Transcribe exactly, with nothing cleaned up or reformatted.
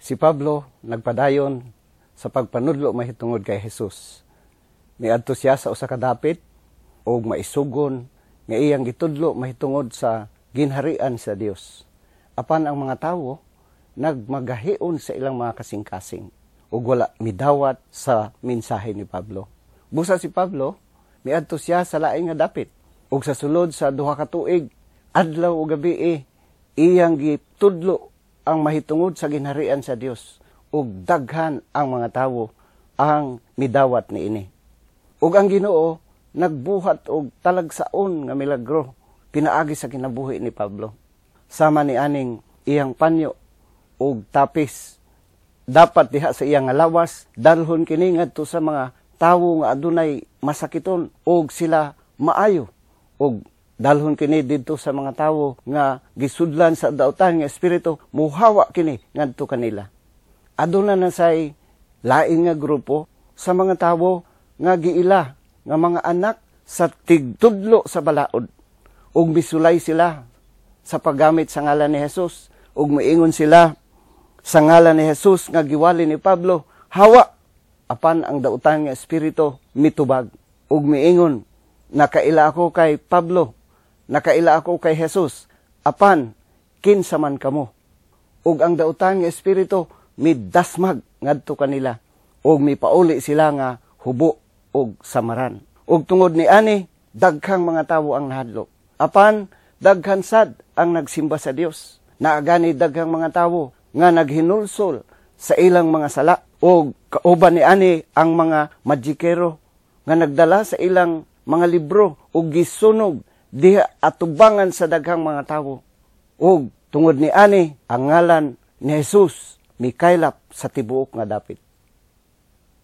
Si Pablo nagpadayon sa pagpanudlo mahitungod kay Jesus. Miadto siya sa usa ka dapit ug maisugon nga iyang gitudlo mahitungod sa ginharian sa Dios. Apan ang mga tawo nagmagahion sa ilang mga kasing-kasing ug wala midawat sa mensahe ni Pablo. Busa si Pablo miadto siya sa laing nga dapit ug sa sulod sa duha ka tuig, adlaw ug gabi, iyang gitudlo ang mahitungod sa ginharian sa Dios ug daghan ang mga tawo ang midawat niini. Ug ang Ginoo nagbuhat og talagsaon nga milagro pinaagi sa kinabuhi ni Pablo. Sama ni aning iyang panyo ug tapis dapat diha sa iyang lawas, dalhon kini ngadto sa mga tawo nga adunay masakiton ug sila maayo, ug dalhon kini didto sa mga tawo nga gisudlan sa dautan nga espiritu, muhawa kini ngadto kanila. Aduna na say lain nga grupo sa mga tawo nga giila nga mga anak sa tigtudlo sa balaod ug misulay sila sa paggamit sa ngalan ni Jesus ug miingon sila, "Sa ngalan ni Jesus nga giwali ni Pablo, hawa!" Apan ang dautan nga espiritu mitubag ug miingon, "Nakaila ako kay Pablo, nakaila ako kay Jesus, apan kinsa man kamo?" Ug ang dautan nga espiritu midasmag ngadto kanila ug mipauli sila nga hubo ug samaran. Ug tungod ni ani, daghang mga tawo ang nahadlok. Apan daghan sad ang nagsimba sa Dios. Naagani daghang mga tawo nga naghinulsol sa ilang mga sala, ug kauban ni ani ang mga majikero nga nagdala sa ilang mga libro ug gisunog diha atubangan sa daghang mga tawo. Ug tungod ni ani, ang ngalan ni Jesus mikaylap sa tibuok nga dapit.